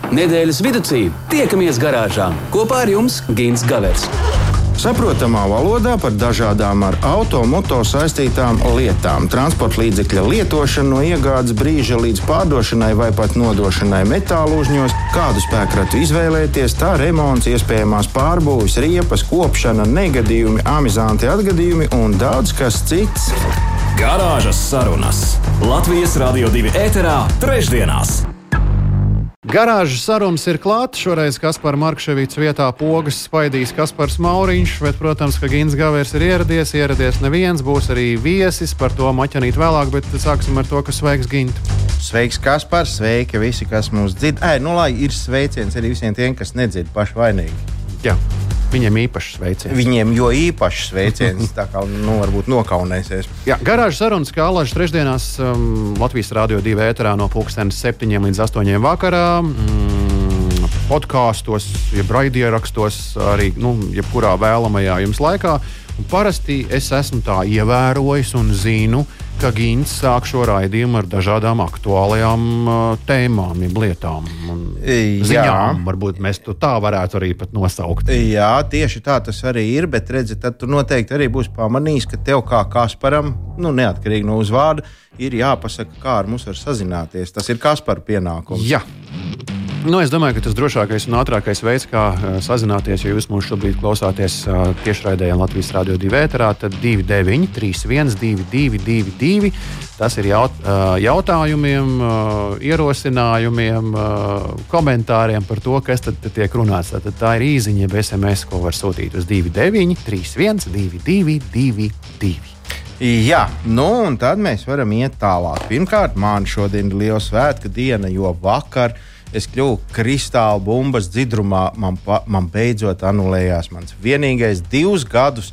Nedēļas vidū tiekamies garāžā. Kopā ar jums Gints Gavers. Saprotamā valodā par dažādām ar automoto saistītām lietām. Transporta līdzekļa lietošanu no iegādes brīža līdz pārdošanai vai pat nodošanai metālūžņos, kādu spēkratu izvēlēties, tā remonts, iespējamās pārbūves, riepas, kopšana, negadījumi, amizanti atgadījumi un daudz kas cits. Garāžas sarunas Latvijas Radio 2 ēterā trešdienās. Garāžas sarunas ir klāta. Šoreiz Kaspars Markševics vietā pogas spaidīs Kaspars Mauriņš, bet, protams, ka Gints Gavers ir ieradies neviens, būs arī viesis, par to maķanīt vēlāk, bet sāksim ar to, ka sveiks Gint. Sveiks, Kaspars, sveiki visi, kas mūs dzird. Lai ir sveiciens arī visiem tiem, kas nedzird paši vainīgi. Jā. Viņiem īpašs sveiciens. Viņiem jo īpašs sveiciens, tā kā varbūt nokaunēsies. Jā, garāžas sarunas, kā alažas trešdienās Latvijas Radio 2 ēterā no 7 līdz 8 vakarā. Podkāstos, jeb raidierakstos, arī jebkurā vēlamajā jums laikā. Un parasti es esmu tā ievērojis un zinu, ka Gints sāk šo raidījumu ar dažādām aktuālajām tēmām, lietām un ziņām. Varbūt mēs to tā varētu arī pat nosaukt. Jā, tieši tā tas arī ir, bet redzi, tad tu noteikti arī būsi pamanījis, ka tev kā Kasparam, neatkarīgi no uzvārda, ir jāpasaka, kā ar mums var sazināties. Tas ir Kaspara pienākums. Jā. Es domāju, ka tas drošākais un ātrākais veids, kā sazināties, ja jūs mūs šobrīd klausāties tiešraidē Latvijas Radio 2 ēterā, tad 29312222. Tas ir jautājumiem, ierosinājumiem, komentāriem par to, kas tad tiek runāts. Tā ir īziņa, jeb SMS, ko var sūtīt uz 29312222. Jā, un tad mēs varam iet tālāk. Pirmkārt, man šodien ir liela svētku diena, jo vakar es kļuvu kristāla bumbas dzidrumā. Man beidzot anulējās mans vienīgais 2 gadus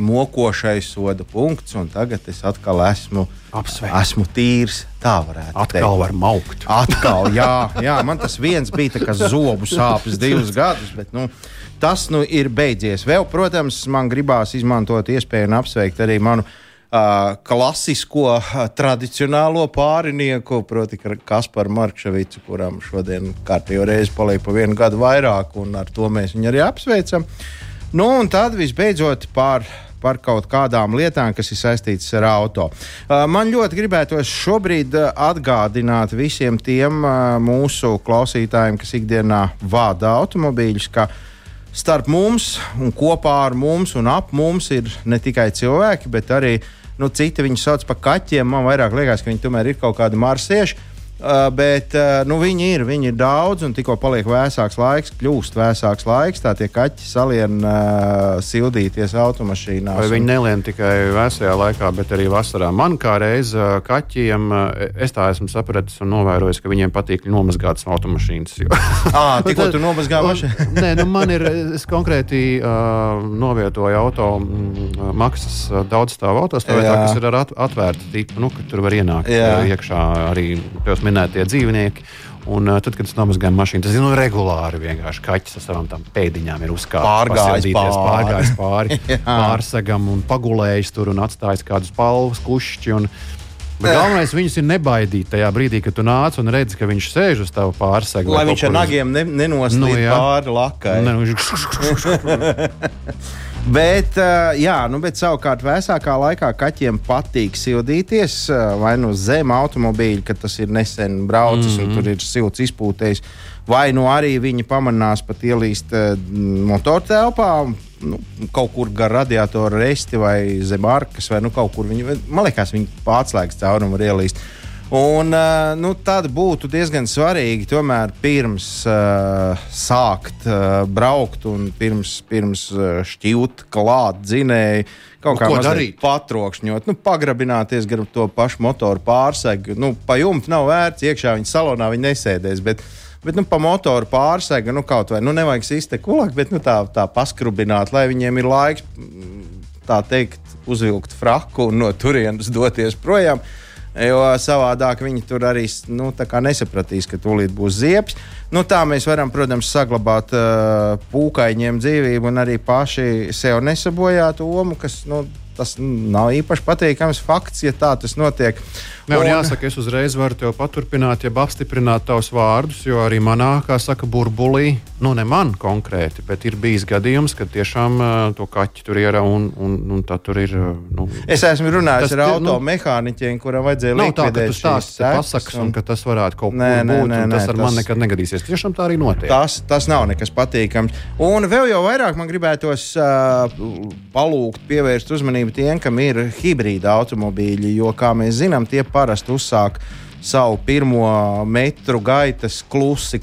mokošais soda punkts, un tagad es atkal esmu tīrs. Tā varētu teikt. Atkal var maukt. Atkal, jā, man tas viens bija tā kā zobu sāpes 2 gadus, bet tas ir beidzies. Vēl, protams, man gribās izmantot iespēju un apsveikt arī manu klasisko, tradicionālo pārinieku, proti Kasparu Markševicu, kuram šodien kārtējo reizi paliek pa 1 gadu vairāk, un ar to mēs viņu arī apsveicam. Un tad visbeidzot par kaut kādām lietām, kas ir saistītas ar auto. Man ļoti gribētos šobrīd atgādināt visiem tiem mūsu klausītājiem, kas ikdienā vada automobīļus, ka starp mums un kopā ar mums un ap mums ir ne tikai cilvēki, bet arī citi viņus sauc par kaķiem. Man vairāk liekas, ka viņi tomēr ir kaut kādi marsieši, bet viņi ir daudz, un tikko paliek vēsāks laiks, kļūst vēsāks laiks, tā tie kaķi salien sildīties automašīnās. Vai viņi nelien tikai vēsajā laikā, bet arī vasarā? Man kā reiz kaķiem, es tā esmu sapratis un novērojis, ka viņiem patīk nomazgātas automašīnas. Tikko tu nomazgā mašīnu? Nē, man ir, es konkrēti novietoju auto maksas daudzstāvu autostāvētā, kas ir ar atvērtu tipu, ka tur var ienākt iekšā arī tos minētie dzīvnieki. Un tad, kad es nomazgāju mašīnu, tas ir regulāri vienkārši kaķis ar savām tām pēdiņām ir pārgājis pāri pārsegam un pagulējis tur un atstājis kādus palvas kušķi. Bet galvenais viņus ir nebaidīt tajā brīdī, kad tu nāc un redzi, ka viņš sēž uz tavu pārsegu. Lai viņš ar nagiem nenoslīd pāri lakai. Bet savukārt vēsākā laikā kaķiem patīk sildīties vai zem automobīļa, kad tas ir nesen braucis un tur ir silts izpūtējis, vai arī viņi pamanās pat ielīst motortelpā, kaut kur gar radiatoru resti vai zem arkas, vai kaut kur man liekas, viņi pārslēgas caurumu var ielīst. Un tad būtu diezgan svarīgi tomēr pirms sākt braukt un pirms šķiut klāt dzinēji kaut kā mazliet patrokšņot, pagrabināties gar to pašu motoru pārsegu. Pa jumtu nav vērts, iekšā viņa salonā viņa nesēdēs, bet pa motoru pārsega, kaut vai, nevajag siste kulak, bet tā paskrubināt, lai viņiem ir laiks, tā teikt, uzvilkt fraku un no turienes doties projām. Jo savādāk viņi tur arī nesapratīs, ka tūlīt būs ziepes. Tā mēs varam, protams, saglabāt pūkaiņiem dzīvību un arī paši sev nesabojāt omu, kas tas nav īpaši patīkams fakts, ja tā tas notiek. Un jāsaka, es uzreiz varu tev paturpināt, ja apstiprināt tavus vārdus, jo arī manā, kā saka, burbulī, ne man konkrēti, bet ir bijis gadījums, kad tiešām to kaķi tur ir un tā tur ir. Es esmu runājis ar automehāniķiem, kuram vajadzēja likvidēt šīs sekas. Nav tā, ka tu pasaks un ka tas varētu kaut kur būt, un tas ar man nekad negadīsies. Tiešām tā arī notiek. Tas nav nekas patīkams. Un vēl jau vairāk man gribētos palūgt pievērst uzmanību tiem, kam ir hibrīda automobīļi, jo, kā mēs zinām, tie parasti uzsāk savu pirmo metru gaitas klusi,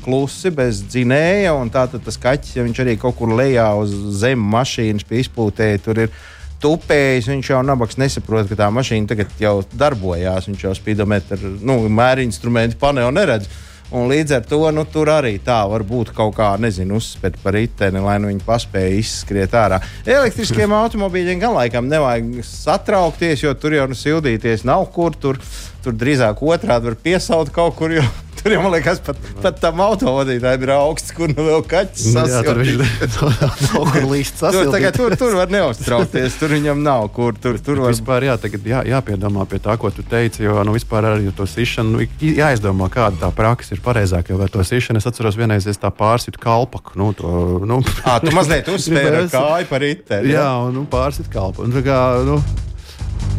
bez dzinēja, un tātad tas kaķis, ja viņš arī kaut kur lejā uz zem mašīnas pie izpūtēja, tur ir tupējis, viņš jau nabaks nesaprot, ka tā mašīna tagad jau darbojās, viņš jau spidometru, mērinstrumentu paneli neredz. Un līdz ar to tur arī tā var būt kaut kā, uzspērt par riteni, lai viņi paspēja izskriet ārā. Elektriskiem automobīļiem gan laikam nevajag satraukties, jo tur jau sildīties nav kur. Tur drīzāk otrādi var piesaut kaut kur, jo tur jau, man liekas, pat tam autovadītājiem ir augsts, kur vēl kaķis sasildīt. Tur kur līst sasildīt. Tur var neuztraukties, tur viņam nav kur. Tur var... Vispār tagad jāpiedomā pie tā, ko tu teici, jo vispār arī to sišanu, jāizdomā, kāda tā praksa ir pareizāk, jo ar to sišanu es atceros vienreiz, es tā pārsitu kalpaku. Tu mazliet uzspēri ar kāju par riteni. Jā, un pārsitu kalpaku.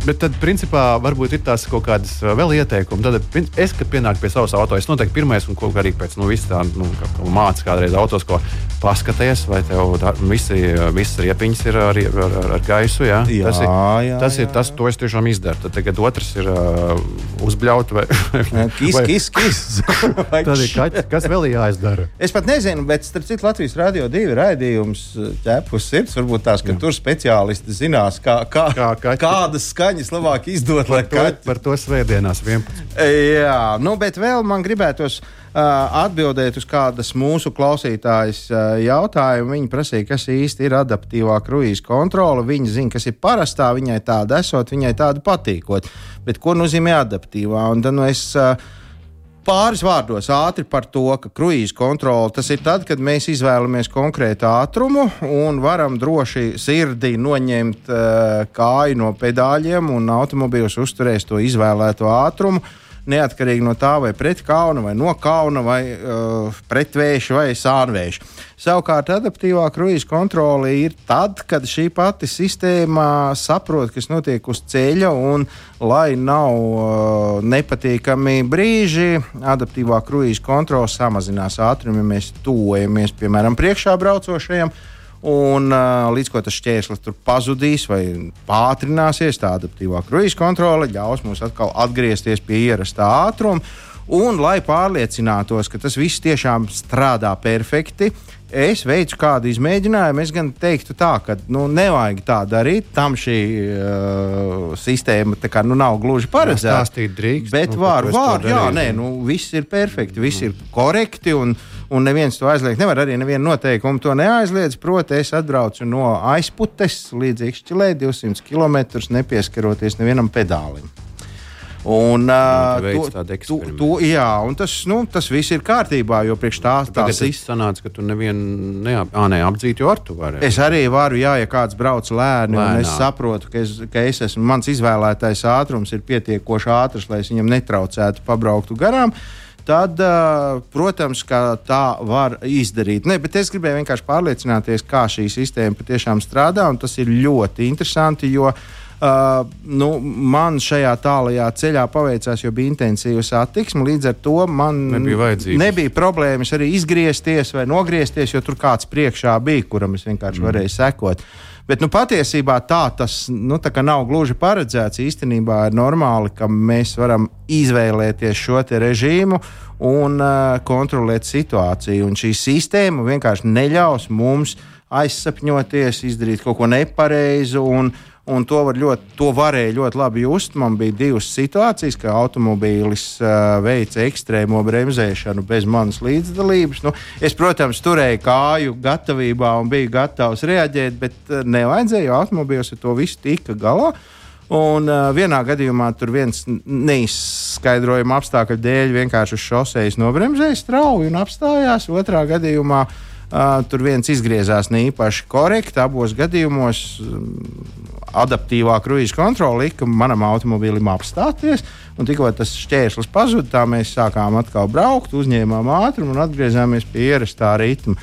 Bet tad, principā, varbūt ir tās kaut kādas vēl ieteikumi. Tad es, kad pienāku pie savas auto, es noteikti pirmais un ko arī pēc mācas kādreiz autos, ko paskaties, vai tev visas riepiņas ir ar gaisu. Jā? Tas ir tas, to es tiešām izdaru. Tad tagad otrs ir uzbļaut vai... Kis. Tad ir kaķi, kas vēl jāizdara? Es pat nezinu, bet starp citu Latvijas Radio 2 raidījums ķepus sirds, varbūt tās, ka tur speciālisti zinās, kādas skaņas labāk izdot, lai kaķi. Par to svētdienās 11. Jā, bet vēl man gribētos atbildēt uz kādas mūsu klausītājas jautājumu. Viņa prasīja, kas īsti ir adaptīvā kruīza kontrole. Viņa zina, kas ir parastā, viņai tāda esot, viņai tāda patīkot. Bet ko nozīmē adaptīvā? Un tad es pāris vārdos ātri par to, ka kruīza kontrole tas ir tad, kad mēs izvēlamies konkrētu ātrumu un varam droši sirdī noņemt kāju no pedāļiem un automobīls uzturēs to izvēlēto ātrumu. Neatkarīgi no tā, vai pret kauna, vai no kauna, vai pret vēju, vai sānvēju. Savukārt, adaptīvā kruīza kontrole ir tad, kad šī pati sistēma saprot, kas notiek uz ceļa, un, lai nav nepatīkami brīži, adaptīvā kruīza kontrole samazinās ātrumu, ja mēs tuvojamies, piemēram, priekšā braucošajam. Un līdz ko tas šķērslis tur pazudīs vai pātrināsies, tā adaptīvā kruīza kontrole ļaus mums atkal atgriezties pie ierastā ātruma. Un, lai pārliecinātos, ka tas viss tiešām strādā perfekti, es veicu kādu izmēģinājumu. Es gan teiktu tā, ka nevajag tā darīt. Tam šī sistēma tā kā, nav gluži paredzēta. Stāstīt drīkst. Bet viss ir perfekti, viss ir korekti un neviens to aizliegt nevar. Arī neviena noteikuma to neaizliedz. Proti, es atbraucu no Aizputes līdz Ikšķilē 200 km, nepieskaroties nevienam pedālim. Un tas viss ir kārtībā, jo priekš tās sanāca, ka tu nevienu neapdzīt, jo ar tu vari. Es arī varu, ja kāds brauc lēni, un es saprotu, ka mans izvēlētais ātrums ir pietiekoši ātrs, lai es viņam netraucētu pabrauktu garām. Tad, protams, ka tā var izdarīt. Bet es gribēju vienkārši pārliecināties, kā šī sistēma patiešām strādā, un tas ir ļoti interesanti, jo man šajā tālajā ceļā paveicās, jo bija intensīva satiksme. Līdz ar to man nebija problēmas arī izgriezties vai nogriezties, jo tur kāds priekšā bija, kuram es vienkārši varēju sekot. Bet patiesībā tas tā nav gluži paredzēts. Īstenībā ir normāli, ka mēs varam izvēlēties šo te režīmu un kontrolēt situāciju. Un šī sistēma vienkārši neļaus mums aizsapņoties, izdarīt kaut ko nepareizu. Un to varēja ļoti labi just. Man bija divas situācijas, ka automobīlis veica ekstrēmo bremzēšanu bez manas līdzdalības. Es, protams, turēju kāju gatavībā un biju gatavs reaģēt, bet nevajadzēja, jo automobīlis ar to visu tika galā. Un vienā gadījumā tur viens neizskaidrojama apstākļu dēļ vienkārši uz šosejas nobremzēja strauji un apstājās. Otrā gadījumā tur viens izgriezās ne īpaši korekti. Abos gadījumos adaptīvā kruīza kontrole lika manam automobīlim apstāties. Un tikko tas šķērslis pazuda, tā mēs sākām atkal braukt, uzņēmām ātrumu un atgriezāmies pie ierastā ritma.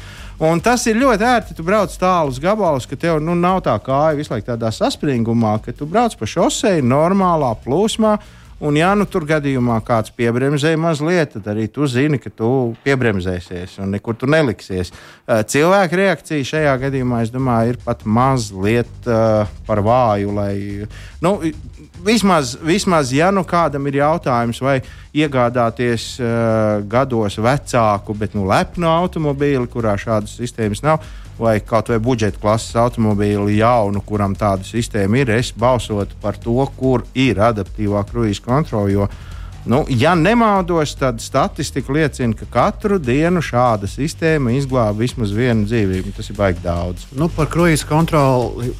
Un tas ir ļoti ērti, tu brauc tālus gabalus, ka tev nav tā kāja visu laiku tādā saspringumā, ka tu brauc pa šoseju normālā plūsmā. Un, ja tur gadījumā kāds piebremzē mazliet, tad arī tu zini, ka tu piebremzēsies un nekur tu neliksies. Cilvēka reakcija šajā gadījumā, es domāju, ir pat mazliet par vāju. Vismaz, ja kādam ir jautājums, vai iegādāties gados vecāku, bet lepnu automobīli, kurā šādas sistēmas nav, vai kaut vai budžeta klases automobīli jaunu, kuram tāda sistēma ir, es balsotu par to, kur ir adaptīvā kruīza kontrole. Jo, ja nemaldos, tad statistika liecina, ka katru dienu šāda sistēma izglāba vismaz vienu dzīvību. Tas ir baigi daudz. Par kruīza kontroli.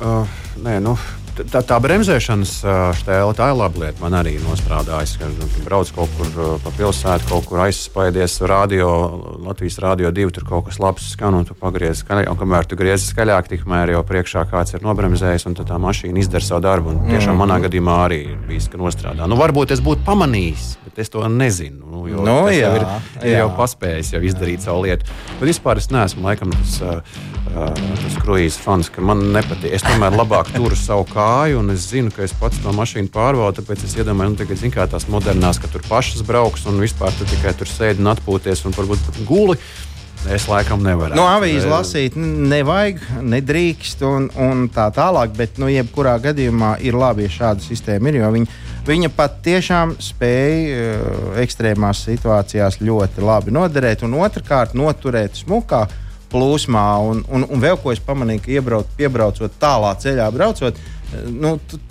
Tā bremzēšanas štēle, tā ir laba lieta. Man arī nosprādājas, ka brauc kaut kur pa pilsētu, kaut kur aizspaidies Latvijas Rādio 2, tur kaut kas labs skan, un tu pagriezi skaļāk, un kamēr tu griezi skaļāk, tikmēr jau priekšā kāds ir nobremzējis, un tad tā mašīna izdara savu darbu, un tiešām manā gadījumā arī ir bijis, ka nostrādā. Varbūt es būtu pamanījis, bet es to nezinu, jo tas jau ir jau paspējis jau izdarīt savu lietu. Bet vispār es neesmu laikam tas kruīza fans, ka man nepatīk. Es tomēr labāk turu savu kāju, un es zinu, ka es pats to mašīnu pārvaldu, tāpēc es iedomāju, tagad zinu, kā tās modernās, ka tur pašas brauks, un vispār tu tikai tur sēdi un atpūties, un varbūt pat guli. Es laikam nevaru. Avīzi lasīt nevajag, nedrīkst un tā tālāk, bet jebkurā gadījumā ir labi, ja šāda sistēma ir, jo viņa pat tiešām spēja ekstrēmās situācijās ļoti labi noderēt un otrkārt noturēt smukā plūsmā. Un vēl ko es pamanīju, ka piebraucot tālā ceļā braucot,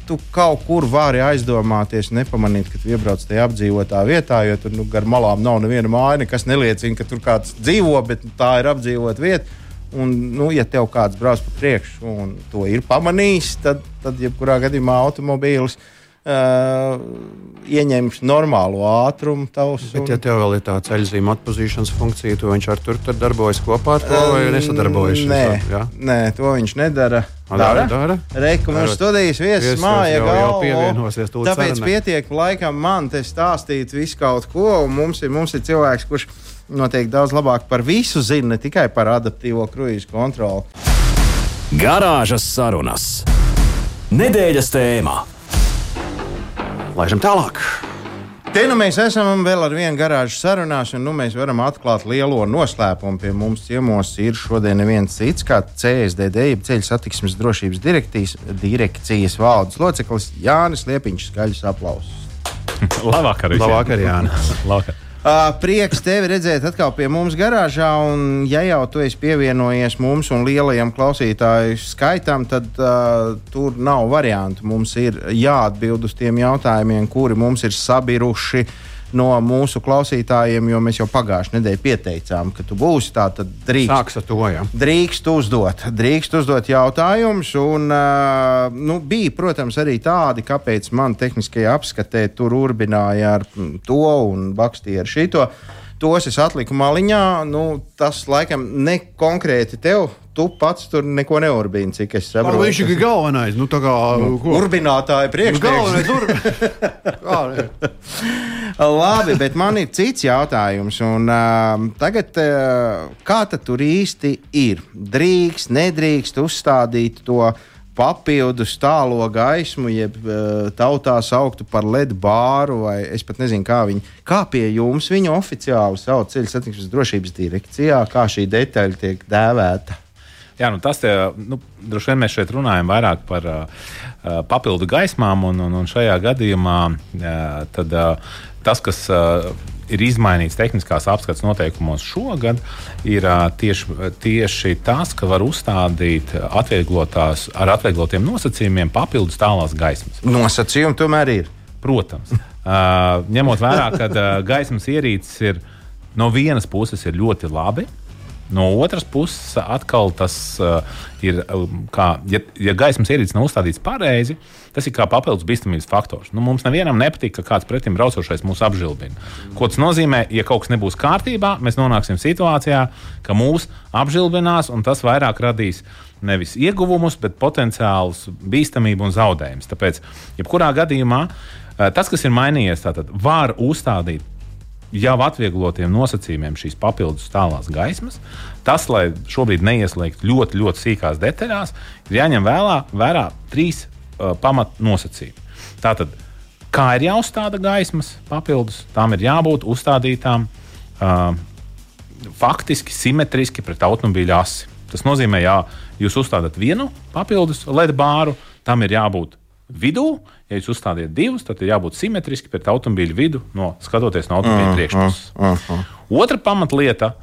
tu kaut kur vari aizdomāties un nepamanīt, ka tu iebrauc tajā apdzīvotā vietā, jo tur gar malām nav neviena māja, nekas neliecina, ka tur kāds dzīvo, bet tā ir apdzīvota vieta. Un, ja tev kāds brauc pa priekšu un to ir pamanījis, tad jebkurā gadījumā automobīlis ieņems normālu ātrumu tavs. Bet, ja tev vēl ir tā ceļzīme atpazīšanas funkcija, to viņš ar tur darbojas kopā ar to vai nesadarbojas? Nē, to viņš nedara. Dara? Reku mums studijas viesis māja jau pievienosies. Tāpēc pietiek laikam man te stāstīt visu kaut ko, un mums ir cilvēks, kurš noteikti daudz labāk par visu zina, ne tikai par adaptīvo kruīza kontroli. Garāžas sarunas. Nedēļas tēmā. Laižam tālāk. Te mēs esam vēl ar vienu garāžu sarunās, un mēs varam atklāt lielo noslēpumu. Pie mums ciemos ir šodien neviens cits kā CSDD, Ceļu satiksmes drošības direkcijas valdes loceklis Jānis Liepiņš. Skaļus aplausus. Labvakar, Jānis. Labvakar. Prieks tevi redzēt atkal pie mums garāžā, un ja jau tu esi pievienojies mums un lielajam klausītāju skaitam, tad tur nav variantu. Mums ir jāatbild uz tiem jautājumiem, kuri mums ir sabiruši no mūsu klausītājiem, jo mēs jau pagājušajā nedēļā pieteicām, ka tu būsi tā, tad drīkst uzdot jautājumus. Un, bija, protams, arī tādi, kāpēc man tehniskajā apskatē tur urbināja ar to un bakstīja ar šito. Tos es atliku maliņā. Tas laikam ne konkrēti tev. Tu pats tur neko neurbīni, cik es saprotu. Viņš ir galvenais. Urbinātāja priekšnieks. Labi, bet man ir cits jautājums. Un, tagad, kā tad tur īsti ir? Drīkst, nedrīkst uzstādīt to papildus tālo gaismu, jeb tautā sauktu par LED bāru, vai es pat nezinu, kā pie jums viņu oficiāli sauc Ceļu satiksmes drošības direkcijā, kā šī detaļa tiek dēvēta? Jā, tas droši vien mēs šeit runājam vairāk par papildu gaismām, un šajā gadījumā tas, kas ir izmainīts tehniskās apskates noteikumos šogad, ir tieši tas, ka var uzstādīt ar atvieglotiem nosacījumiem papildus tālās gaismas. Nosacījumi tomēr ir? Protams. Ņemot vērā, ka gaismas ierīces ir no vienas puses ir ļoti labi, No otras puses, atkal tas ir, kā, ja gaismas ierīces nav uzstādīts pareizi, tas ir kā papildus bīstamības faktors. Mums nevienam nepatīk, ka kāds pretim braucošais mūs apžilbina. Ko tas nozīmē? Ja kaut kas nebūs kārtībā, mēs nonāksim situācijā, ka mūs apžilbinās, un tas vairāk radīs nevis ieguvumus, bet potenciālus bīstamību un zaudējumus. Tāpēc, jebkurā gadījumā, tas, kas ir mainījies, tātad var uzstādīt jau atvieglotiem nosacījumiem šīs papildus tālās gaismas. Tas, lai šobrīd neieslēgtu ļoti, ļoti sīkās detaļās, ir jāņem vērā 3 pamatnosacījumi. Tātad, kā ir jāuzstāda gaismas papildus, tām ir jābūt uzstādītām faktiski simetriski pret automobīļa asi. Tas nozīmē, ja jūs uzstādat vienu papildus LED bāru, tam ir jābūt vidū. Ja jūs uzstādiet 2, tad ir jābūt simetriski pret automobīļa vidu, skatoties no automobīļa priekšpuses. Otra pamatlieta,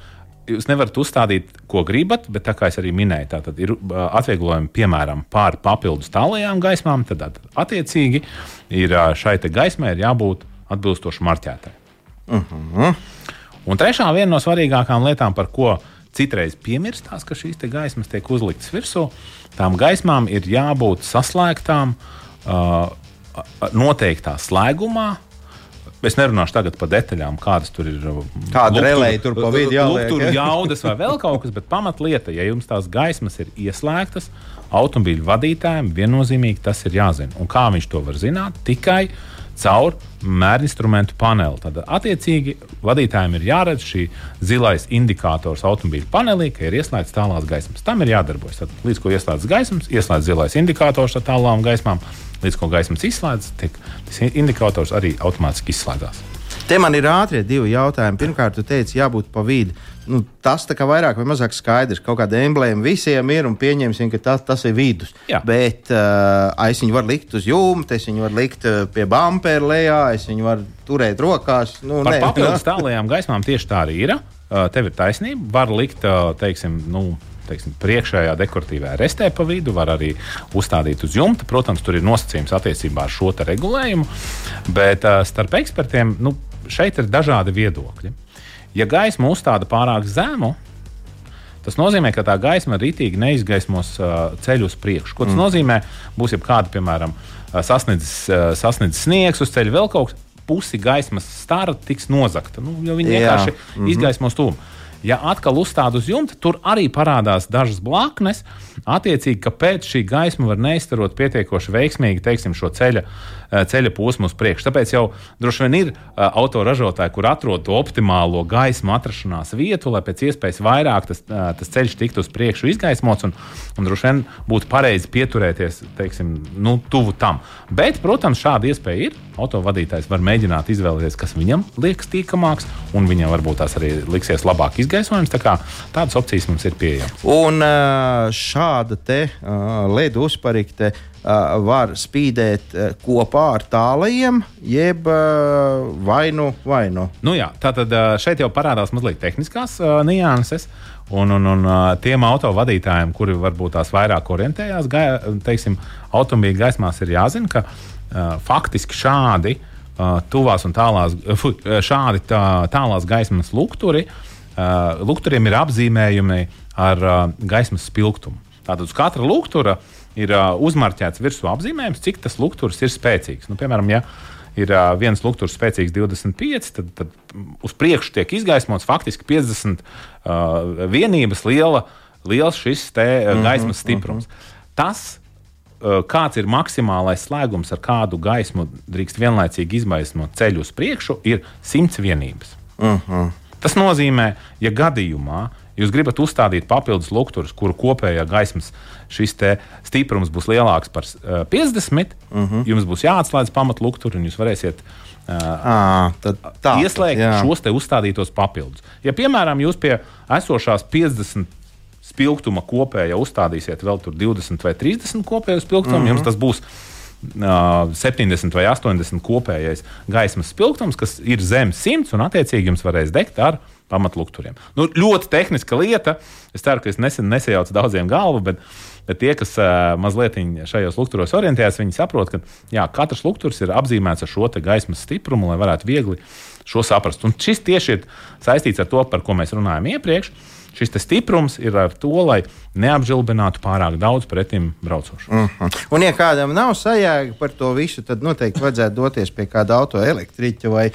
jūs nevarat uzstādīt, ko gribat, bet tā kā es arī minēju, tātad ir atvieglojumi, piemēram, pār papildus tālajām gaismām, tad attiecīgi ir šai te gaismai ir jābūt atbilstoši marķētai. Un trešā viena no svarīgākām lietām, par ko citreiz piemirstās, ka šīs te gaismas tiek uzliktas virsū, tām gaismām ir jābūt saslēgtām noteiktā slēgumā. Es nerunāšu tagad par detaļām, kādas tur ir. Kāda relēja tur pa vidu jāliek. Tur jaudas vai vēl kaut kas, bet pamatlieta, ja jums tās gaismas ir ieslēgtas, automobīļu vadītājiem viennozīmīgi tas ir jāzina. Un kā viņš to var zināt? Tikai caur mērinstrumentu paneli. Tad, attiecīgi, vadītājiem ir jāredz šī zilais indikators automobīļu panelī, ka ir ieslēgts tālās gaismas. Tam ir jādarbojas. Tad, līdz ko ieslēdz gaismas, ieslēdz zilais indikators ar tālām gaismām, līdz ko gaismas izslēdz, tas indikators arī automātiski izslēdzās. Te man ir ātrie 2 jautājumi. Pirmkārt, tu teici, jābūt pa vidu. Tas tā kā vairāk vai mazāk skaidrs. Kaut kāda emblēma visiem ir un pieņemsim, ka tas ir vidus. Jā. Bet es viņu varu likt uz jumta, es viņu varu likt pie bumpera lejā, es viņu varu turēt rokās. Par papildus tālajām gaismām tieši tā arī ir. Tev ir taisnība. Var likt, teiksim, priekšējā dekoratīvā restē pa vidu, var arī uzstādīt uz jumta. Protams, tur ir nosacījums attiecībā ar šo regulējumu, bet starp ekspertiem šeit ir dažādi viedokļi. Ja gaisma uzstāda pārāk zemu, tas nozīmē, ka tā gaisma ritīgi neizgaismos ceļu uz priekšu. Ko tas nozīmē? Būs jebkāda, piemēram, sasniedzis sniegs uz ceļa, vēl kaut kas, pusi gaismas stara tiks nozagta, jo viņi vienkārši izgaismos tūmu. Ja atkal uzstāda uz jumta, tur arī parādās dažas blaknes. Attiecīgi, kāpēc šī gaisma var neizstarot pietiekoši veiksmīgi, teiksim, šo ceļa posmu uz priekšu. Tāpēc jau droši vien ir autoražotāji, kur atrod to optimālo gaismu atrašanās vietu, lai pēc iespējas vairāk tas ceļš tiktu uz priekšu izgaismots un droši vien būtu pareizi pieturēties, teiksim, tuvu tam. Bet, protams, šāda iespēja ir. Autovadītājs var mēģināt izvēlēties, kas viņam liekas tīkamāks, un viņam varbūt tās arī liksies labāk izgaismojums. Tā kā tādas opcijas mums ir pieejamas. Un šāda te LED uzparikte var spīdēt kopā ar tālajiem, jeb vainu. Jā, tātad šeit jau parādās mazliet tehniskās nianses. Un tiem autovadītājiem, kuri varbūt tās vairāk orientējās, teiksim, automobīļu gaismās ir jāzina, ka faktiski šādi tuvās un tālās gaismas lukturiem ir apzīmējumi ar gaismas spilgtumu. Tātad uz katra luktura ir uzmarķēts virsū apzīmējums, cik tas lukturs ir spēcīgs. Piemēram, ja ir viens lukturs spēcīgs 25, tad uz priekšu tiek izgaismots faktiski 50 vienības liels šis te gaismas stiprums. Tas, kāds ir maksimālais slēgums, ar kādu gaismu drīkst vienlaicīgi izgaismot ceļu uz priekšu, ir 100 vienības. Tas nozīmē, ja gadījumā jūs gribat uzstādīt papildus lukturus, kuru kopējā gaismas šis te stiprums būs lielāks par 50, jums būs jāatslēdz pamatlukturi un jūs varēsiet ieslēgt šos te uzstādītos papildus. Ja, piemēram, jūs pie esošās 50 spilgtuma kopējā uzstādīsiet vēl tur 20 vai 30 kopēju spilgtumu, jums tas būs 70 vai 80 kopējais gaismas spilgtums, kas ir zem 100 un attiecīgi jums varēs degt ar pamatlukturiem. Ļoti tehniska lieta. Es ceru, ka es nesajaucu daudziem galvu, bet tie, kas mazliet šajos lukturos orientējas, viņi saprot, ka katrs lukturs ir apzīmēts ar šo te gaismas stiprumu, lai varētu viegli šo saprast. Un šis tieši ir saistīts ar to, par ko mēs runājām iepriekš. Šis stiprums ir ar to, lai neapžilbinātu pārāk daudz pretim braucošu. Un, ja kādam nav sajēga par to visu, tad noteikti vajadzētu doties pie kāda autoelektriķa vai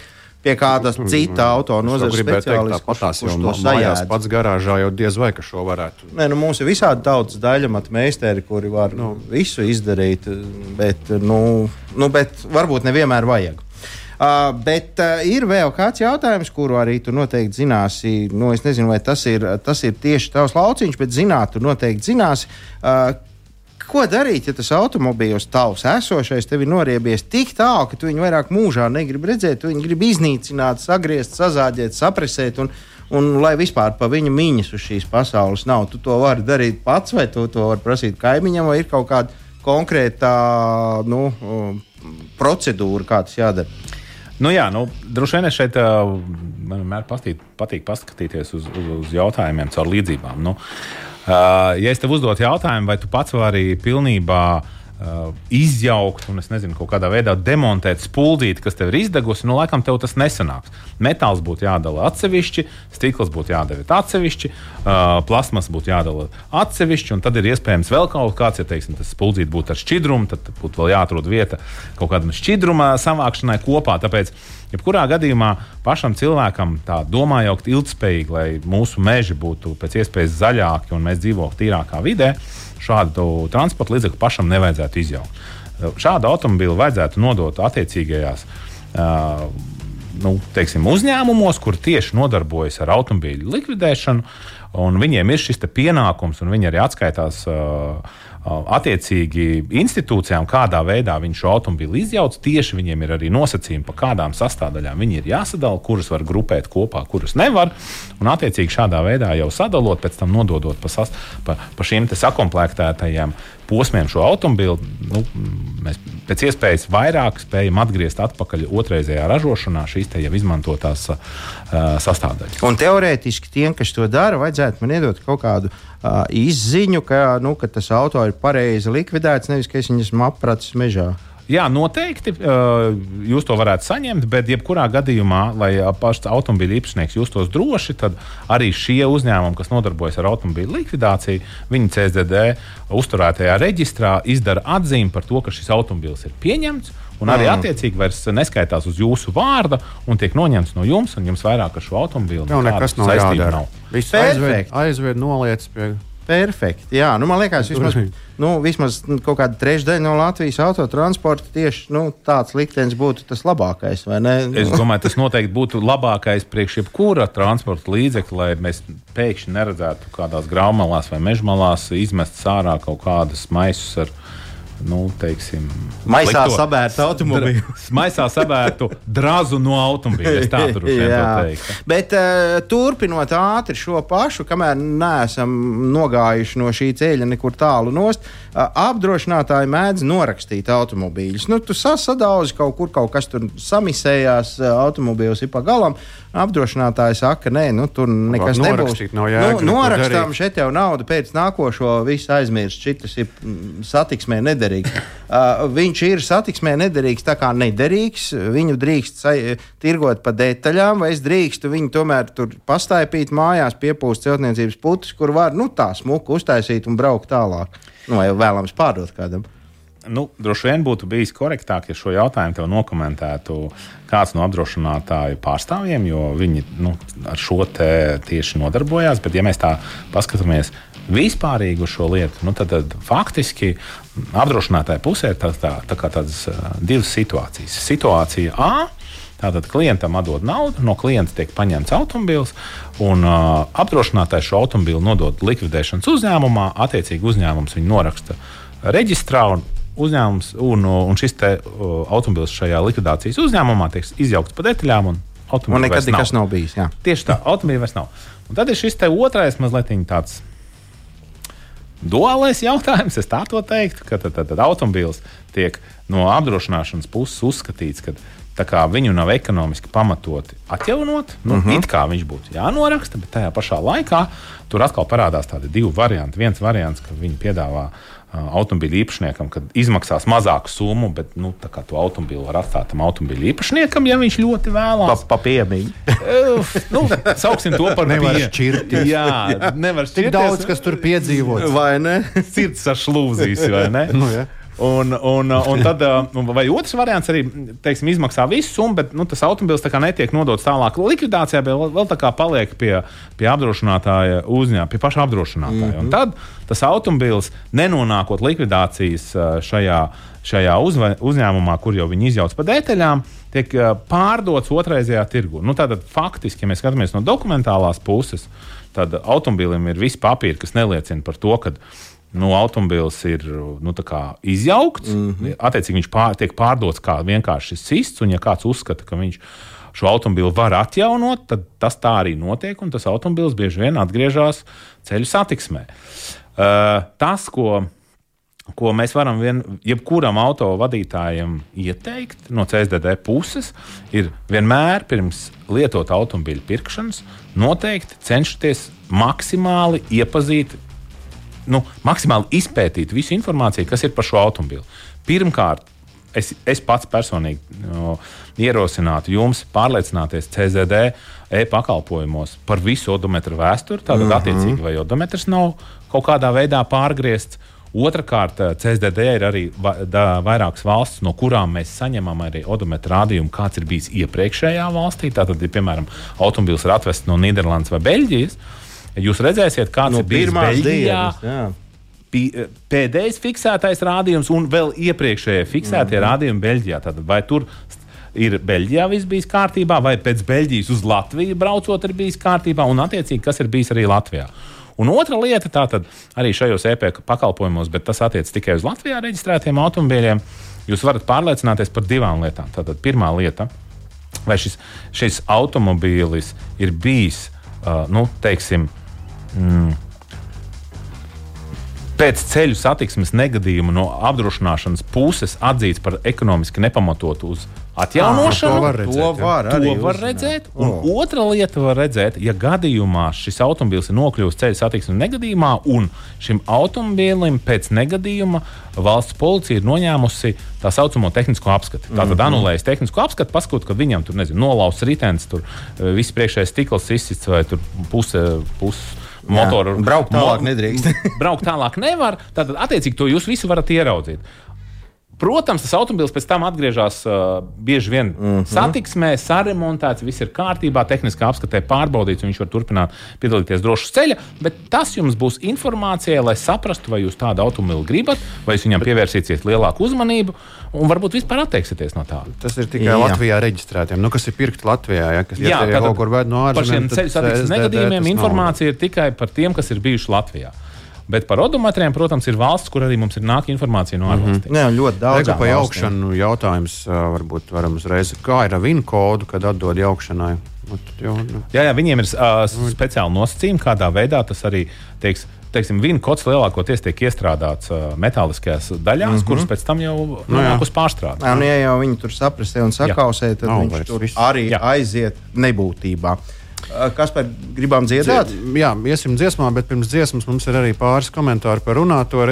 pie kādas cita auto nozares speciālista, kurš to sajēdz. Pats garāžā jau diez vai, ka šo varētu. Nē, mums ir visādi daudz daļamatu meisteri, kuri var visu izdarīt, bet varbūt nevienmēr vajag. Bet ir vēl kāds jautājums, kuru arī tu noteikti zināsi. Es nezinu, vai tas ir tieši tavs lauciņš, bet tu noteikti zināsi. Ko darīt, ja tas automobīls tavs esošais tev ir noriebies tik tālu, ka tu viņu vairāk mūžā negribi redzēt, tu viņu gribi iznīcināt, sagriezt, sazāģēt, sapresēt un lai vispār pa viņa miņas uz šīs pasaules nav. Tu to vari darīt pats vai tu to vari prasīt kaimiņam vai ir kaut kāda konkrēta procedūra, kā tas jādara? Droši vien es šeit man vienmēr patīk paskatīties uz jautājumiem caur līdzībām. Ja es tev uzdotu jautājumu, vai tu pats vari pilnībā izjaukt un, es nezinu, kaut kādā veidā demontēt spuldzīti, kas tev ir izdegusi, laikam tev tas nesanāks. Metāls būtu jādala atsevišķi, stikls būtu jādara atsevišķi, plasmas būtu jādala atsevišķi, un tad ir iespējams vēl kaut kāds, ja teiksim, tas spuldzīti būtu ar šķidrumu, tad būtu vēl jāatrod vieta kaut kādam šķidruma savākšanai kopā. Tāpēc, jebkurā gadījumā pašam cilvēkam tā domājot ilgspējīgi, lai mūsu meži būtu pēc iespējas zaļāki un mēs dzīvotu tīrākā vidē, šādu transporta līdzekli pašam nevajadzētu izjaukt. Šādu automobīlu vajadzētu nodot attiecīgajās uzņēmumos, kur tieši nodarbojas ar automobīļu likvidēšanu, un viņiem ir šis pienākums, un viņi arī atskaitās attiecīgi institūcijām, kādā veidā viņi šo automobīlu izjauc. Tieši viņiem ir arī nosacījumi, pa kādām sastāvdaļām viņi ir jāsadala, kuras var grupēt kopā, kuras nevar. Un attiecīgi šādā veidā jau sadalot, pēc tam nododot pa šiem sakomplektētajiem posmiem šo automobīlu, mēs pēc iespējas vairāk spējam atgriezt atpakaļ otrreizējā ražošanā šīs te jau izmantotās sastāvdaļas. Un teorētiski tiem, kas to dara, vajadzētu man iedot kaut kādu izziņu, ka tas auto ir pareizi likvidēts, nevis ka es viņu esmu apracis mežā. Jā, noteikti jūs to varētu saņemt, bet jebkurā gadījumā, lai pašs automobīļa īpašnieks justos droši, tad arī šie uzņēmumi, kas nodarbojas ar automobīļa likvidāciju, viņi CSDD uzturētajā reģistrā izdara atzīmi par to, ka šis automobīls ir pieņemts, un arī attiecīgi vairs neskaitās uz jūsu vārda un tiek noņemts no jums, un jums vairāk ar šo automobīlu nekas nav jādara. Viss aizved noliec pie... Perfekti, jā. Man liekas, vismaz kaut kāda trešdaļa no Latvijas autotransporta tieši tāds liktenis būtu tas labākais, vai ne? Es domāju, tas noteikti būtu labākais priekš jebkura transporta līdzekļa, lai mēs pēkšņi neredzētu kādās graumalās vai mežmalās izmest ārā kaut kādas maisus ar maisā sabērtu automobīlu. Maisā sabērtu drazu no automobīļa. Es tā droši vien teiktu. Bet turpinot ātri šo pašu, kamēr neesam nogājuši no šī ceļa nekur tālu nost, apdrošinātāji mēdz norakstīt automobīļus. Tu sadauzi kaut kas tur samisējās, automobīls ir pa galam. Apdrošinātāji saka, nē, tur nekas nebūs. Norakstām, šeit jau nauda pēc nākošo visu aizmirst. Šitas ir satiksmē nederīgs. Viņš ir satiksmē nederīgs, tā kā nederīgs. Viņu drīkst tirgot pa detaļām, vai es drīkstu viņu tomēr tur pastaipīt mājās, piepūst celtniecības putus, kur var tā smuku uztaisīt un braukt tālāk. Vai vēlams pārdot kādam. Droši vien būtu bijis korektāk, ja šo jautājumu tev nokomentētu kāds no apdrošinātāju pārstāvjiem, jo viņi ar šo te tieši nodarbojās. Bet, ja mēs tā paskatāmies vispārīgi uz šo lietu, tad faktiski apdrošinātāja pusē ir tādas divas situācijas. Situācija A. Tātad klientam atdod naudu, no klienta tiek paņemts automobīls, un apdrošinātājs šo automobīlu nodod likvidēšanas uzņēmumā. Attiecīgi uzņēmums viņu noraksta reģistrā, uzņēmums un šis automobīls šajā likvidācijas uzņēmumā tiek izjaukts pa detaļām, un automobīļa nekad nekas nav bijis. Jā. Tieši tā, automobīļa vairs nav. Un tad ir šis otrais mazliet tāds duālais jautājums, es tā to teiktu, ka tad automobīls tiek no apdrošināšanas puses uzskatīts, ka tā kā viņu nav ekonomiski pamatoti atjaunot, it kā viņš būtu jānoraksta, bet tajā pašā laikā tur atkal parādās tādi divi varianti. Viens variants, ka viņi piedāvā automobīļu īpašniekam, kad izmaksās mazāku summu, bet tā kā to automobīlu var atstāt tam automobīļu īpašniekam, ja viņš ļoti vēlās. Pa piemiņu. Sauksim to par nevar šķirties. Jā, nevar šķirties. Tik daudz, kas tur piedzīvots. Vai ne? Sirds sašlūzīs, vai ne? Jā. Un tad, vai otrs variants arī, teiksim, izmaksā visu summu, bet tas automobils tā kā netiek nodots tālāk likvidācijā, bet vēl tā kā paliek pie apdrošinātāja uzņēmuma, pie paša apdrošinātāja. Un tad tas automobils, nenonākot likvidācijas šajā uzņēmumā, kur jau viņi izjauc pa detaļām, tiek pārdots otrreizējā tirgu. Tātad faktiski, ja mēs skatāmies no dokumentālās puses, tad automobilim ir visi papīri, kas neliecina par to, ka automobils ir izjaukts. Attiecīgi viņš tiek pārdots kā vienkārši sists, un ja kāds uzskata, ka viņš šo automobili var atjaunot, tad tas tā arī notiek, un tas automobils bieži vien atgriežas ceļu satiksmē. Tas, ko mēs varam jebkuram auto vadītājam ieteikt no CSDD puses, ir vienmēr pirms lietot automobīļu pirkšanas noteikti cenšoties maksimāli iepazīt, maksimāli izpētīt visu informāciju, kas ir par šo automobili. Pirmkārt, es pats personīgi ierosinātu jums pārliecināties CSDD e-pakalpojumos par visu odometru vēsturi. Tātad, attiecīgi, vai odometrs nav kaut kādā veidā pārgriezts. Otrakārt, CSDD ir arī vairākas valstis, no kurām mēs saņemam arī odometru rādījumu, kāds ir bijis iepriekšējā valstī. Tātad, ja, piemēram, automobils ir atvests no Nīderlandes vai Beļģijas, jūs redzēsiet, kāds ir bijis Beļģijā, pēdējais fiksētais rādījums un vēl iepriekšējie fiksētie rādījumi Beļģijā. Tātad, vai tur ir Beļģijā viss bijis kārtībā, vai pēc Beļģijas uz Latviju braucot ir bijis kārtībā, un attiecīgi, kas ir bijis arī Latvijā. Un otra lieta, tātad arī šajos EP pakalpojumos, bet tas attiec tikai uz Latvijā reģistrētiem automobīļiem, jūs varat pārliecināties par divām lietām. Tātad pirmā lieta, vai šis automobīlis ir bijis, teiksim, pēc ceļu satiksmes negadījuma no apdrošināšanas puses atzīts par ekonomiski nepamatotu uz atjaunošanu. To var redzēt. Un otra lieta var redzēt, ja gadījumā šis automobils ir nokļuvis ceļu satiksmes negadījumā un šim automobilim pēc negadījuma valsts policija ir noņēmusi tā saucamo tehnisko apskati. Tātad anulējas tehnisko apskati, paskot, ka viņam tur, lausts ritenis, tur viss priekšējais stikls izsists vai tur puse motoru. Braukt tālāk nedrīkst. Braukt tālāk nevar, tad attiecīgi to jūs visu varat ieraudzīt. Protams, tas automobilis pēc tam atgriežas bieži vien satiksmē, saremontēts, viss ir kārtībā, tehniskā apskatē pārbaudīts, un viņš var turpināt piedalīties drošas ceļa, bet tas jums būs informācija, lai saprastu, vai jūs tādu automobili gribat, vai jūs viņam pievērsīsiet lielāku uzmanību, un varbūt vispār atteiksieties no tā. Tas ir tikai Latvijā reģistrētiem, kas ir pirkti Latvijā, kas kaut kur ved no ārzemēm. Par šiem ceļu satiksmes negadījumiem informācija ir tikai par tiem, kas ir bijuši Latvijā. Bet par odometriem, protams, ir valsts, kur arī mums ir nāk informācija no ārvalstīm. Jā, ļoti daudz. Pa jaukšanu jautājums varbūt varam uzreiz. Kā ir ar VIN kodu, kad atdod jaukšanai? Jā, viņiem ir speciāli nosacījumi, kādā veidā tas arī, teiksim, VIN kods lielākoties tiek iestrādāts metāliskajās daļās, kuras pēc tam jau nonāk uz pārstrādi. Ja jau viņi tur saprasē un sakausē, tad viņš tur arī aiziet nebūtībā. Kas par gribām dziedāt? Jā, iesim dziesmā, bet pirms dziesmas mums ir arī pāris komentāri par runāto.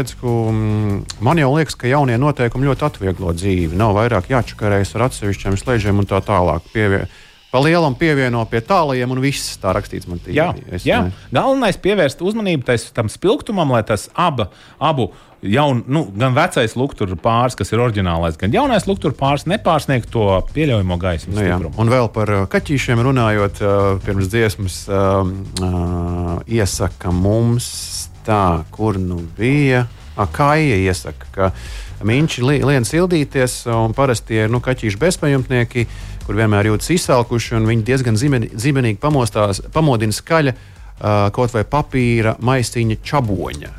Man jau liekas, ka jaunie noteikumi ļoti atvieglo dzīvi. Nav vairāk jāčakarējas ar atsevišķiem slēdžiem un tā tālāk. Pa lielam pievieno pie tālajiem un viss tā rakstīts man tīri. Jā. Galvenais pievērst uzmanību tam spilgtumam, lai tas abu gan vecais lukturu pāris, kas ir oriģinālais, gan jaunais lukturu pāris nepārsniegt to pieļaujamo gaismas stiprumu. Un vēl par kaķīšiem runājot, pirms dziesmas iesaka mums tā, kur bija. Kaija iesaka, ka miņķi lien sildīties, un parasti ir kaķīšu bezpajumtnieki, kur vienmēr jūtas izsalkuši, un viņi diezgan zibenīgi pamodina skaļa kaut vai papīra maisiņa čaboņa.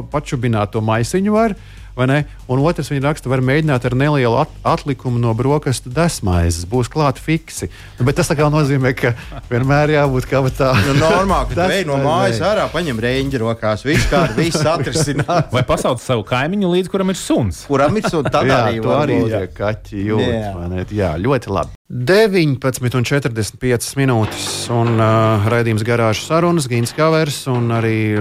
Pačubināt to maisiņu var, vai ne? Un otrs viņa raksta, var mēģināt ar nelielu atlikumu no brokastu desmaizes, būs klāt fiksi. Bet tas tā kā nozīmē, ka vienmēr jābūt kā tā. Normāli, ka tu ej no mājas ārā, paņem reņģi rokās, viss atrisinās. Vai pasauc savu kaimiņu līdz, kuram ir suns? Kuram ir suns, tad arī to arī kaķi jūt. Jā, ļoti labi. 19,45 minūtes un raidījums Garāžas sarunas, Gins Kavers un arī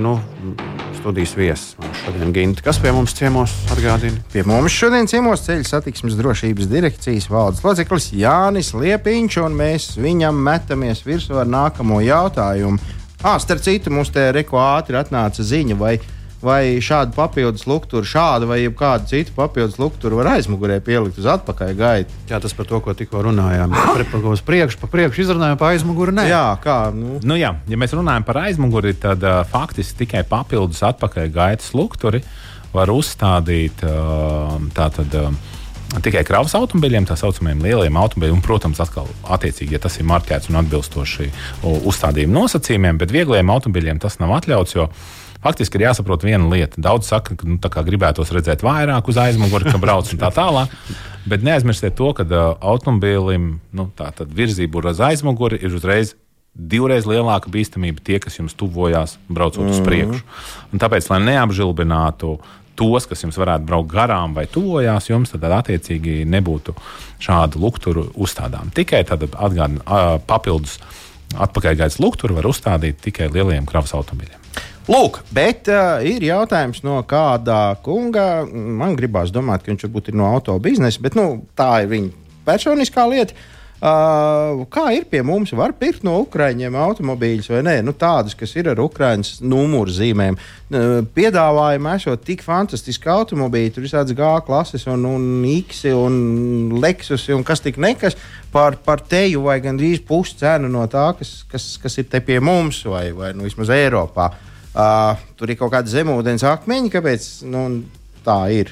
studijas viesis. Šodien, Ginti, kas pie mums ciemos atgādina? Pie mums šodien ciemos Ceļu satiksmes drošības direkcijas valdes loceklis Jānis Liepiņš, un mēs viņam metamies virsū ar nākamo jautājumu. Starp citu, mums te reko ātri atnāca ziņa, vai šādu papildus lukturu, vai kādu citu papildus lukturu var aizmugurē pielikt uz atpakaļ gaitu. Jā, tas par to, ko tikko runājām. Uz priekšu, pa priekšu izrunājām, pa aizmuguri nē. Jā, kā? Ja mēs runājam par aizmuguri, tad faktiski tikai papildus atpakaļ gaitas lukturi var uzstādīt tikai kravas automobiļiem, tā saucamajiem lieliem automobiļiem, un, protams, atkal attiecīgi, ja tas ir marķēts un atbilstoši uzstādījuma nosacījumiem, bet viegliem automobiļiem tas nav atļauts, jo faktiski ir jāsaprot viena lieta. Daudz saka, ka gribētos redzēt vairāk uz aizmuguri, ka brauc un tā tālāk, bet neaizmirstiet to, ka automobīlim virzība uz aizmuguri ir uzreiz divreiz lielāka bīstamība tie, kas jums tuvojās braucot uz priekšu. Un tāpēc, lai neapžilbinātu tos, kas jums varētu braukt garām vai tuvojās jums, tad attiecīgi nebūtu šādu lukturu uzstādām. Tikai tad papildus atpakaļgaitas lukturu var uzstādīt tikai lielajiem kravas automobiļiem. Lūk, bet ir jautājums no kāda kunga. Man gribās domāt, ka viņš varbūt ir no auto biznesa, bet tā ir viņa personiskā lieta. Kā ir pie mums? Var pirkt no Ukraiņiem automobīļus vai nē? Tādus, kas ir ar Ukraiņas numuru zīmēm. Piedāvājumi esot tik fantastiski automobīļi, tur visāds G klases un X un Lexus un kas tik nekas par teju vai gandrīz puscenu no tā, kas ir te pie mums vai vismaz Eiropā. Tur ir kaut kāda zemūdens akmeņi, kāpēc tā ir?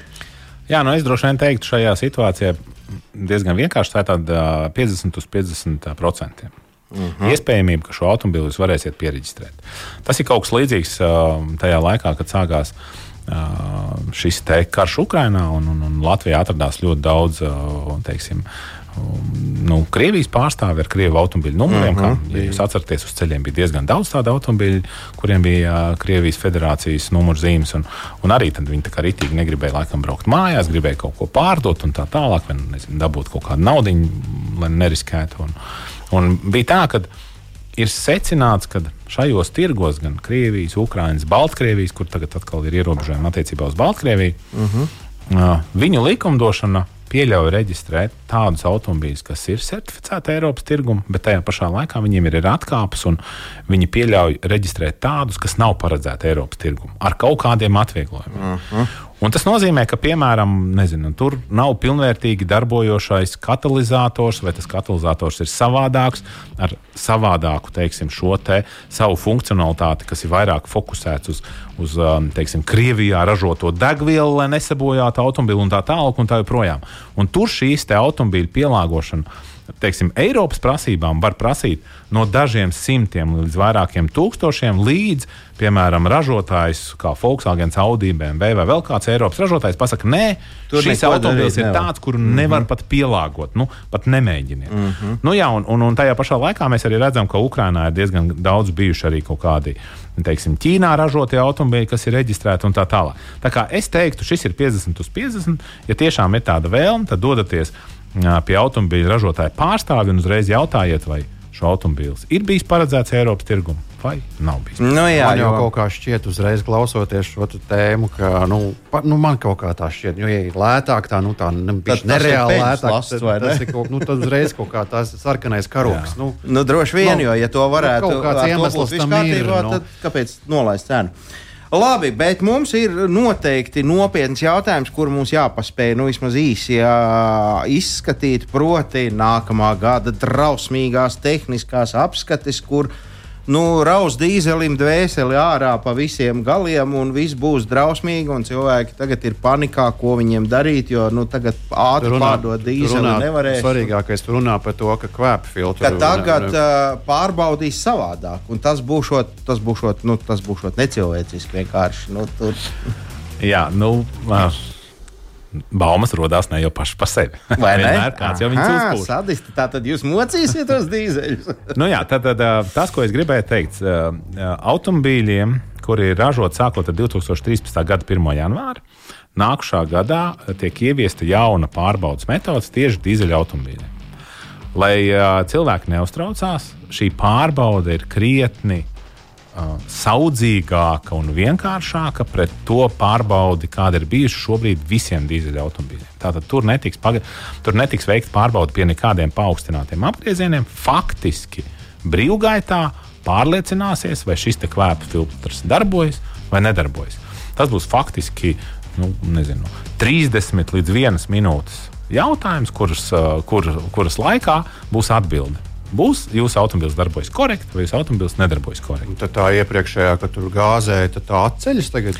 Jā, es droši vien teiktu šajā situācijā diezgan vienkārši, tā ir tāda 50% iespējamība, ka šo automobili jūs varēsiet pieregistrēt. Tas ir kaut kas līdzīgs tajā laikā, kad sākās šis karš Ukrainā un Latvijā atradās ļoti daudz, teiksim, Krievijas pārstāvi ar Krievu automobīļu numuriem. Ja jūs atceraties, uz ceļiem bija diezgan daudz tādu automobīļu, kuriem bija Krievijas federācijas numurzīmes, un arī tad viņi tā kā ritīgi negribēja laikam braukt mājās, gribēja kaut ko pārdot un tā tālāk, vai dabūt kaut kādu naudiņu, lai neriskētu. Un bija tā, ka ir secināts, ka šajos tirgos gan Krievijas, Ukrainas, Baltkrievijas, kur tagad atkal ir ierobežojumi attiecībā uz Baltkrieviju, viņu likumdošana pieļauj reģistrēt tādus automobīļus, kas ir certificēti Eiropas tirgumu, bet tajā pašā laikā viņiem ir atkāpes, un viņi pieļauj reģistrēt tādus, kas nav paredzēti Eiropas tirgumu, ar kaut kādiem atvieglojumiem. Un tas nozīmē, ka, piemēram, tur nav pilnvērtīgi darbojošais katalizators, vai tas katalizators ir savādāks, ar savādāku, teiksim, šo savu funkcionalitāti, kas ir vairāk fokusēts uz teiksim, Krievijā ražoto degvielu, lai nesabojātu automobili un tā tālāk un tā joprojām. Un tur šīs automobīļu pielāgošana, teiksim, Eiropas prasībām var prasīt no dažiem simtiem līdz vairākiem tūkstošiem, līdz, piemēram, ražotājs kā Volkswagen, Audi, BMW vai vēl kāds Eiropas ražotājs pasaka, nē, šis automobils ir tāds, kuru nevar pat pielāgot, pat nemēģiniet. Jā, un tajā pašā laikā mēs arī redzam, ka Ukrainā ir diezgan daudz bijuši arī kaut kādi, teiksim, Ķīnā ražotie automobīļi, kas ir reģistrēti un tā tālāk. Tā kā es teiktu, šis ir 50/50, ja tiešām ir tāda vēlme, tad dodaties pie automobīļa ražotāja pārstāvi un uzreiz jautājiet, vai šo automobīls ir bijis paredzēts Eiropas tirgumu vai nav bijis. Jā, man jau kaut kā šķiet, uzreiz klausoties šo tēmu, ka man kaut kā tā šķiet, ja ir lētāk, tā nereāli lētāk, tas ir tad uzreiz kaut kā tās sarkanais karoks. Droši vien, jo ja to varētu kaut kāds iemesls tam ir, tad kāpēc nolaist cenu? Labi, bet mums ir noteikti nopietns jautājums, kur mums jāpaspēj vismaz īsi izskatīt, proti nākamā gada drausmīgās tehniskās apskates, kur raus dīzelim dvēseli ārā pa visiem galiem un viss būs drausmīgi un cilvēki tagad ir panikā, ko viņiem darīt, jo tagad ātri pārdot dīzeli nevarēs. Svarīgākais runā par to, ka kvēpa filtru. Ka tagad pārbaudīs savādāk un tas būšot necilvēciski vienkārši. Jā, baumas rodās ne jau paši par sevi. Vai ne? Vienmēr kāds jau viņus uzpūš. Sadisti, tātad jūs mocīsiet tos dīzeļus. Nu jā, tad tas, ko es gribēju teikt, automobīļiem, kuri ir ražoti sākot ar 2013. gada 1. janvāri, nākušā gadā tiek ieviesta jauna pārbaudas metodas tieši dīzeļa automobīļiem. Lai cilvēki neuztraucās, šī pārbauda ir krietni saudzīgāka un vienkāršāka pret to pārbaudi, kāda ir bijuši šobrīd visiem dīzeļa automobīļiem. Tātad tur netiks veikta pārbauda pie nekādiem paaugstinātiem apgriezieniem. Faktiski brīvgaitā pārliecināsies, vai šis te kvēpa filtrs darbojas vai nedarbojas. Tas būs faktiski 30 līdz 1 minūtes jautājums, kuras laikā būs atbilde. Būs jūsu automobīls darbojas korekti, vai jūsu automobīls nedarbojas korekti. Tad tā iepriekšējā, kad tur gāzēja, tad tā atceļas tagad?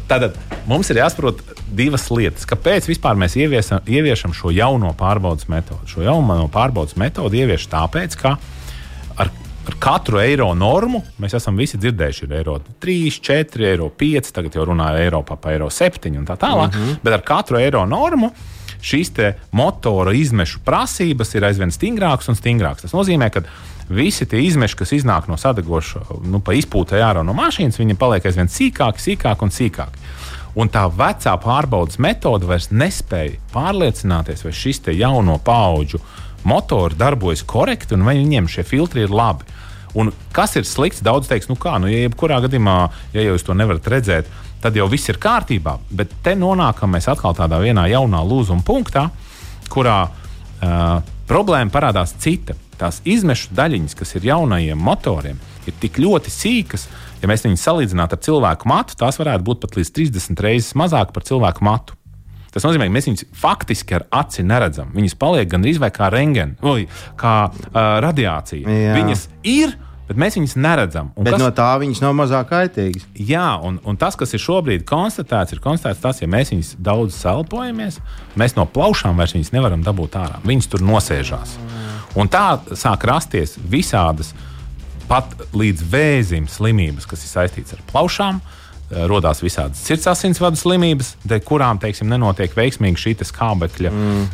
Tad mums ir jāsaprot divas lietas. Kāpēc vispār mēs ieviešam šo jauno pārbaudas metodu? Šo jauno pārbaudas metodu ievieš tāpēc, ka ar katru eiro normu mēs esam visi dzirdējuši, ir eiro 3, 4, eiro 5, tagad jau runāja Eiropā pa eiro 7 un tā tālāk, bet ar katru eiro normu šīs te motora izmešu prasības ir aizvien stingrākas un stingrākas. Tas nozīmē, ka visi tie izmeši, kas iznāk no sadegoša, pa izpūtai ārā no mašīnas, viņi paliek aizvien sīkāki un sīkāki. Un tā vecā pārbaudas metode vairs nespēja pārliecināties, vai šis te jauno paudžu motori darbojas korekti un vai viņiem šie filtri ir labi. Un kas ir slikts? Daudz teiks, ja jebkurā gadījumā, ja jūs to nevarat redzēt, tad jau viss ir kārtībā, bet te nonākam mēs atkal tādā vienā jaunā lūzuma punktā, kurā problēma parādās cita. Tās izmešu daļiņas, kas ir jaunajiem motoriem, ir tik ļoti sīkas, ja mēs viņus salīdzinātu ar cilvēku matu, tās varētu būt pat līdz 30 reizes mazāk par cilvēku matu. Tas nozīmē, ka mēs viņus faktiski ar aci neredzam. Viņas paliek gandrīz vai kā rentgeni, kā radiācija. Jā. Viņas ir, bet mēs viņus neredzam. Bet no tā viņas nav mazāk kaitīgas. Jā, un tas, kas ir šobrīd konstatēts, tas, ja mēs viņus daudz selpojamies, mēs no plaušām vairs viņus nevaram dabūt ārā. Viņas tur nosēžās. Un tā sāk rasties visādas, pat līdz vēzim slimības, kas ir saistītas ar plaušām. Rodās visādas sirdsasinsvadu slimības, kurām, nenotiek veiksmīgi šī skābekļa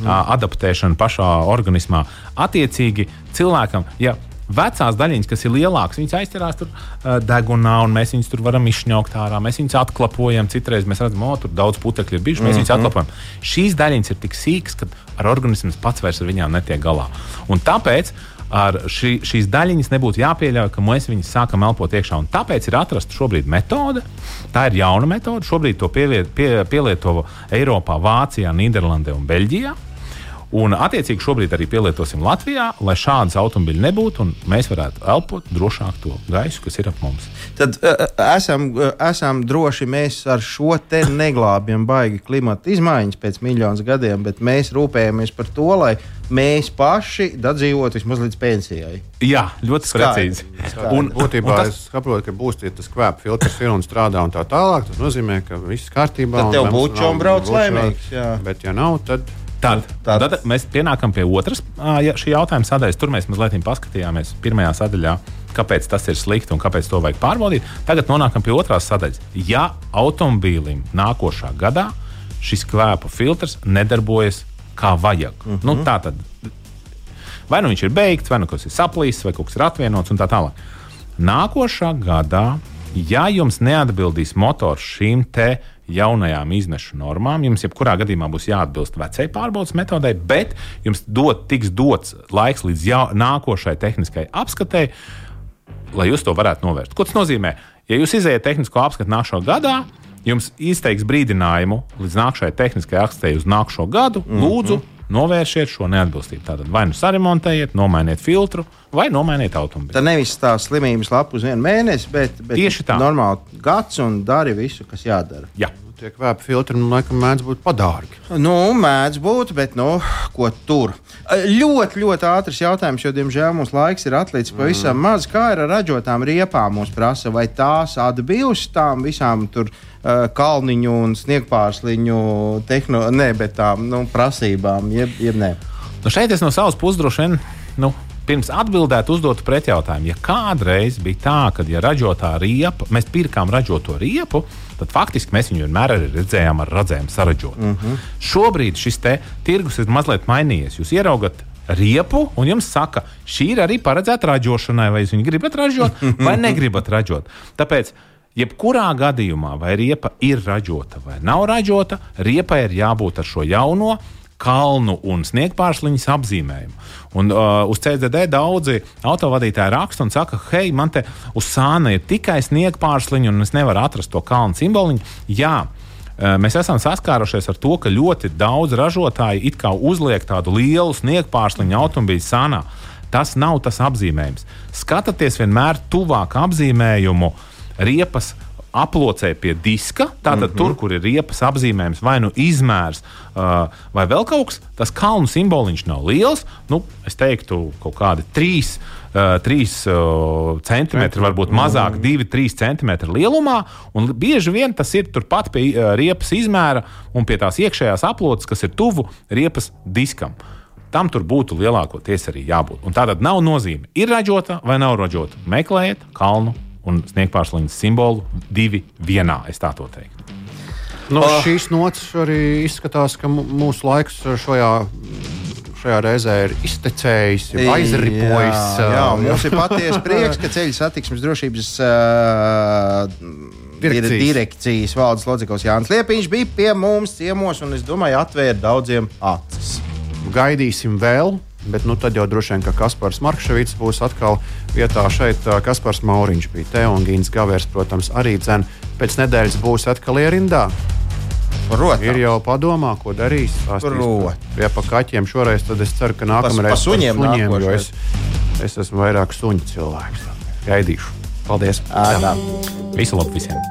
adaptēšana pašā organismā. Attiecīgi cilvēkam, ja vecās daļiņas, kas ir lielākas, viņas aizķerās tur degunā, un mēs viņus tur varam izšņaukt ārā, mēs viņus atklapojam, citreiz mēs redzam, tur daudz putekļi ir bijuši, mēs viņus atklapojam. Šīs daļiņas ir tik sīkas, ka ar organisms pats vairs ar viņām netiek galā. Un tāpēc ar šīs daļiņas nebūtu jāpieļauj, ka mēs viņus sākam elpot iekšā. Un tāpēc ir atrasta šobrīd metode. Tā ir jauna metode. Šobrīd to pielieto Eiropā, Vācijā, Nīderlandē un Beļģijā. Un attiecīgi šobrīd arī pielietosim Latvijā, lai šādas automobīļi nebūtu un mēs varētu elpot drošāk to gaisu, kas ir ap mums. Tad esam droši, mēs ar šo te neglābjam baigi klimata izmaiņas pēc miljonus gadiem, bet mēs rūpējamies par to, lai mēs paši dadzīvot vismaz līdz pensijai. Jā, ļoti precīzi. Un būtībā es saprotu, ka būs tas kvēpa filtrs ir un strādā un tā tālāk. Tas nozīmē, ka viss kārtībā. Tad tev būtu un brauc laimīgs. Bet ja nav, tad... Tad mēs pienākam pie otras šī jautājuma sadaļas. Tur mēs mazliet paskatījāmies pirmajā sadaļā, kāpēc tas ir slikti un kāpēc to vajag pārbaudīt. Tagad nonākam pie otrās sadaļas. Ja automobīlim nākošā gadā šis kvēpa filtrs nedarbojas kā vajag, tā tad vai nu viņš ir beigts, vai nu kas ir saplīsis, vai kaut kas ir atvienots un tā tālāk. Nākošā gadā, ja jums neatbildīs motors šīm te jaunajām izmešu normām, jums jebkurā gadījumā būs jāatbilst vecai pārbaudas metodei, bet jums tiks dots laiks līdz nākošai tehniskai apskatei, lai jūs to varētu novērst. Ko tas nozīmē? Ja jūs izējat tehnisko apskatu nākošā gadā, jums izteiks brīdinājumu līdz nākošai tehniskai apskatei uz nākošo gadu, lūdzu, novēršiet šo neatbilstību. Tātad vai nu saremontējiet, nomainiet filtru, vai nomainiet automobīlu. Tā nevis tā slimības lapa uz 1 mēnesi, bet normāli gads un dari visu, kas jādara. Jā. Tie kvēpa filtri, laikam, mēdz būt padārgi. Mēdz būt, bet, ko tur? Ļoti, ļoti ātrs jautājums, jo, diemžēl, mums laiks ir atlicis pavisam maz. Kā ir ar ražotām riepām mūs prasa? Vai tās atbilst tām visām tur kalniņu un sniegpārsliņu prasībām, jeb nē? Šeit es no savas puses droši vien pirms atbildēt, uzdotu pretjautājumu. Ja kādreiz bija tā, ka ja ražotā riepa, mēs pirkām ražoto riepu, tad faktiski mēs viņu vienmēr arī redzējām ar radzēm saražot. Šobrīd šis tirgus ir mazliet mainījies. Jūs ieraugat riepu, un jums saka, šī ir arī paredzēta ražošanai, vai jūs viņu gribat ražot, vai negribat ražot. Tāpēc, jebkurā gadījumā, vai riepa ir ražota vai nav ražota, riepai ir jābūt ar šo jauno kalnu un sniegpārsliņas apzīmējumu. Un uz CZD daudzi autovadītāji raksta un saka, hei, man te uz sāna ir tikai sniegpārsliņa un es nevaru atrast to kalnu simboliņu. Jā, mēs esam saskārušies ar to, ka ļoti daudz ražotāji it kā uzliek tādu lielu sniegpārsliņu automobīļu sānā. Tas nav tas apzīmējums. Skatieties vienmēr tuvāk apzīmējumu riepas aplocē pie diska, tātad tur, kur ir riepas apzīmējums, vai nu izmērs, vai vēl kaut kas, tas kalnu simboliņš nav liels, es teiktu kaut kādi 3 centimetri, varbūt mazāk, 2-3 centimetri lielumā, un bieži vien tas ir turpat pie riepas izmēra un pie tās iekšējās aploces, kas ir tuvu riepas diskam. Tam tur būtu lielākoties arī jābūt. Un tātad nav nozīme, ir ražota vai nav ražota. Meklējiet kalnu un sniegpārsliņas simbolu 2 vienā, es tā to teiktu. Šīs nots arī izskatās, ka mūsu laiks šajā reizē ir iztecējis, aizripojis. Jā, mums ir patiesi prieks, ka Ceļu satiksmes drošības direkcijas valdes loceklis Jānis Liepiņš bija pie mums ciemos, un es domāju, atvēra daudziem acis. Gaidīsim vēl. Bet tad jau droši vien, ka Kaspars Markševits būs atkal vietā šeit. Kaspars Mauriņš bija te un Gins Gavers, protams, arī dzen. Pēc nedēļas būs atkal ierindā. Protams. Ir jau padomā, ko darīs. Ja pa kaķiem šoreiz, tad es ceru, ka nākamreiz pa suņiem, jo es esmu vairāk suņu cilvēks. Gaidīšu. Paldies. Visu labu visiem.